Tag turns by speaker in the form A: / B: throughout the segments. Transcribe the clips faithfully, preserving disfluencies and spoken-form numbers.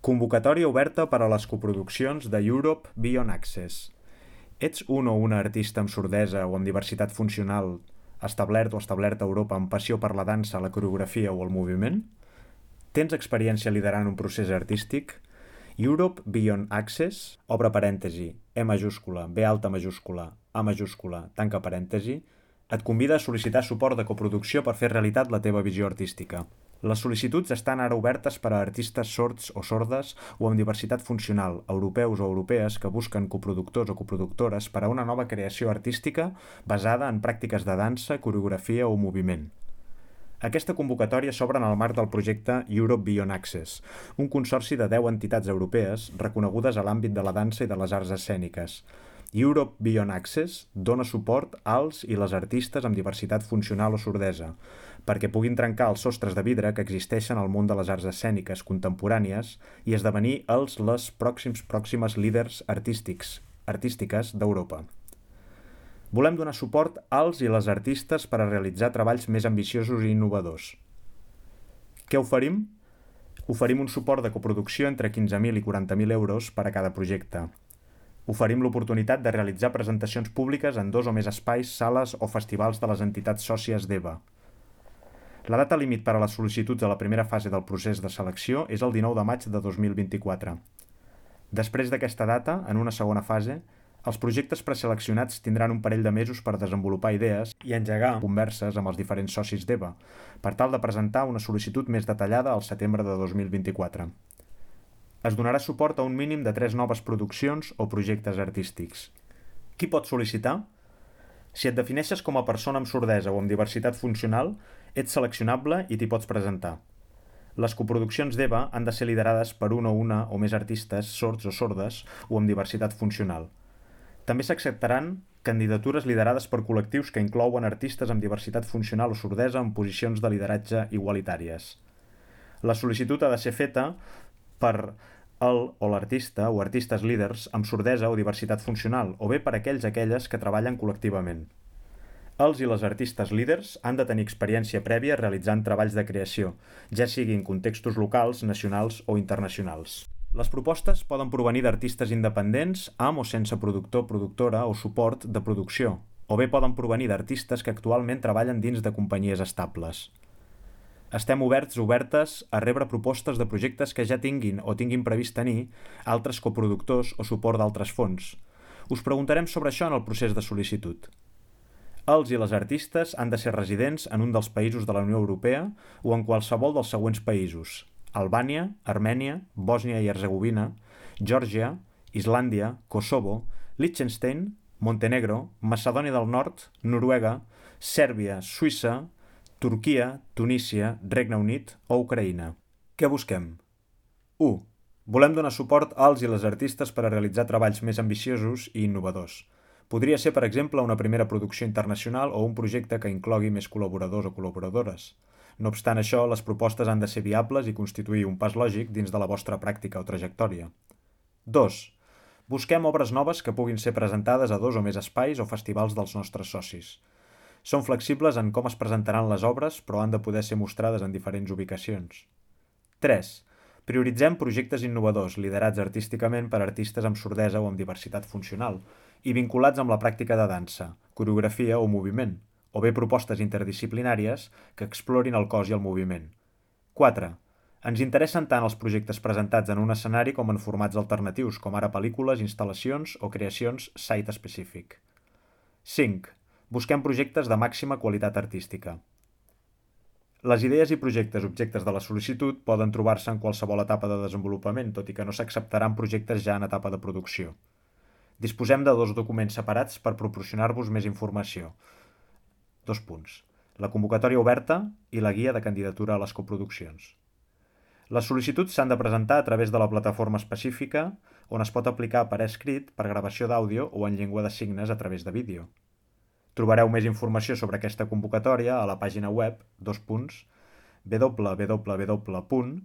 A: Convocatòria oberta per a les coproduccions de Europe Beyond Access. Ets un o una artista amb sordesa o amb diversitat funcional establert o establerta a Europa amb passió per la dansa, la coreografia o el moviment? Tens experiència liderant un procés artístic? Europe Beyond Access, obre parèntesi, E majúscula, B alta majúscula, A majúscula, tanca parèntesi, et convida a sol·licitar suport de coproducció per fer realitat la teva visió artística. Les sol·licituds estan ara obertes per a artistes sords o sordes o amb diversitat funcional, europeus o europees que busquen coproductors o coproductores per a una nova creació artística basada en pràctiques de dansa, coreografia o moviment. Aquesta convocatòria s'obre en el marc del projecte Europe Beyond Access, un consorci de deu entitats europees reconegudes a l'àmbit de la dansa i de les arts escèniques. Europe Beyond Access dona suport als i les artistes amb diversitat funcional o sordesa, perquè puguin trencar els sostres de vidre que existeixen al món de les arts escèniques contemporànies i esdevenir els les pròxims pròximes líders artístics, artístiques d'Europa. Volem donar suport als i les artistes per a realitzar treballs més ambiciosos i innovadors. Què oferim? Oferim un suport de coproducció entre quinze mil i quaranta mil euros per a cada projecte. Oferim l'oportunitat de realitzar presentacions públiques en dos o més espais, sales o festivals de les entitats sòcies d'E V A. La data límit per a les sol·licituds a la primera fase del procés de selecció és el dinou de maig de dos mil vint-i-quatre. Després d'aquesta data, en una segona fase, els projectes preseleccionats tindran un parell de mesos per desenvolupar idees i engegar converses amb els diferents socis d'E V A, per tal de presentar una sol·licitud més detallada al setembre de dos mil vint-i-quatre. Es donarà suport a un mínim de tres noves produccions o projectes artístics. Qui pot sol·licitar? Si et defineixes com a persona amb sordesa o amb diversitat funcional, ets seleccionable i t'hi pots presentar. Les coproduccions d'E V A han de ser liderades per un o una o més artistes sords o sordes o amb diversitat funcional. També s'acceptaran candidatures liderades per col·lectius que inclouen artistes amb diversitat funcional o sordesa en posicions de lideratge igualitàries. La sol·licitud ha de ser feta per el o l'artista o artistes líders amb sordesa o diversitat funcional, o bé per aquells aquelles que treballen col·lectivament. Els i les artistes líders han de tenir experiència prèvia realitzant treballs de creació, ja sigui en contextos locals, nacionals o internacionals. Les propostes poden provenir d'artistes independents, amb o sense productor, productora o suport de producció, o bé poden provenir d'artistes que actualment treballen dins de companyies estables. Estem oberts obertes a rebre propostes de projectes que ja tinguin o tinguin previst tenir altres coproductors o suport d'altres fons. Us preguntarem sobre això en el procés de sol·licitud. Els i les artistes han de ser residents en un dels països de la Unió Europea o en qualsevol dels següents països: Albània, Armènia, Bòsnia i Hercegovina, Geòrgia, Islàndia, Kosovo, Liechtenstein, Montenegro, Macedònia del Nord, Noruega, Sèrbia, Suïssa, Turquia, Tunísia, Regne Unit o Ucraïna. Què busquem? u. Volem donar suport als i les artistes per a realitzar treballs més ambiciosos i innovadors. Podria ser, per exemple, una primera producció internacional o un projecte que inclogui més col·laboradors o col·laboradores. No obstant això, les propostes han de ser viables i constituir un pas lògic dins de la vostra pràctica o trajectòria. dos. Busquem obres noves que puguin ser presentades a dos o més espais o festivals dels nostres socis. Són flexibles en com es presentaran les obres, però han de poder ser mostrades en diferents ubicacions. tres. Prioritzem projectes innovadors, liderats artísticament per artistes amb sordesa o amb diversitat funcional, i vinculats amb la pràctica de dansa, coreografia o moviment, o bé propostes interdisciplinàries que explorin el cos i el moviment. quatre. Ens interessen tant els projectes presentats en un escenari com en formats alternatius, com ara pel·lícules, instal·lacions o creacions site específic. cinc. Busquem projectes de màxima qualitat artística. Les idees i projectes objectes de la sol·licitud poden trobar-se en qualsevol etapa de desenvolupament, tot i que no s'acceptaran projectes ja en etapa de producció. Disposem de dos documents separats per proporcionar-vos més informació. Dos punts. La convocatòria oberta i la guia de candidatura a les coproduccions. Les sol·licituds s'han de presentar a través de la plataforma específica, on es pot aplicar per escrit, per gravació d'àudio o en llengua de signes a través de vídeo. Trobareu més informació sobre aquesta convocatòria a la pàgina web dos punts w w w punt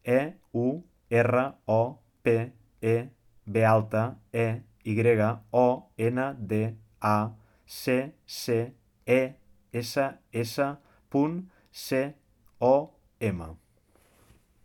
A: e u r o p e b alta e y o n d a c c e s s punt com.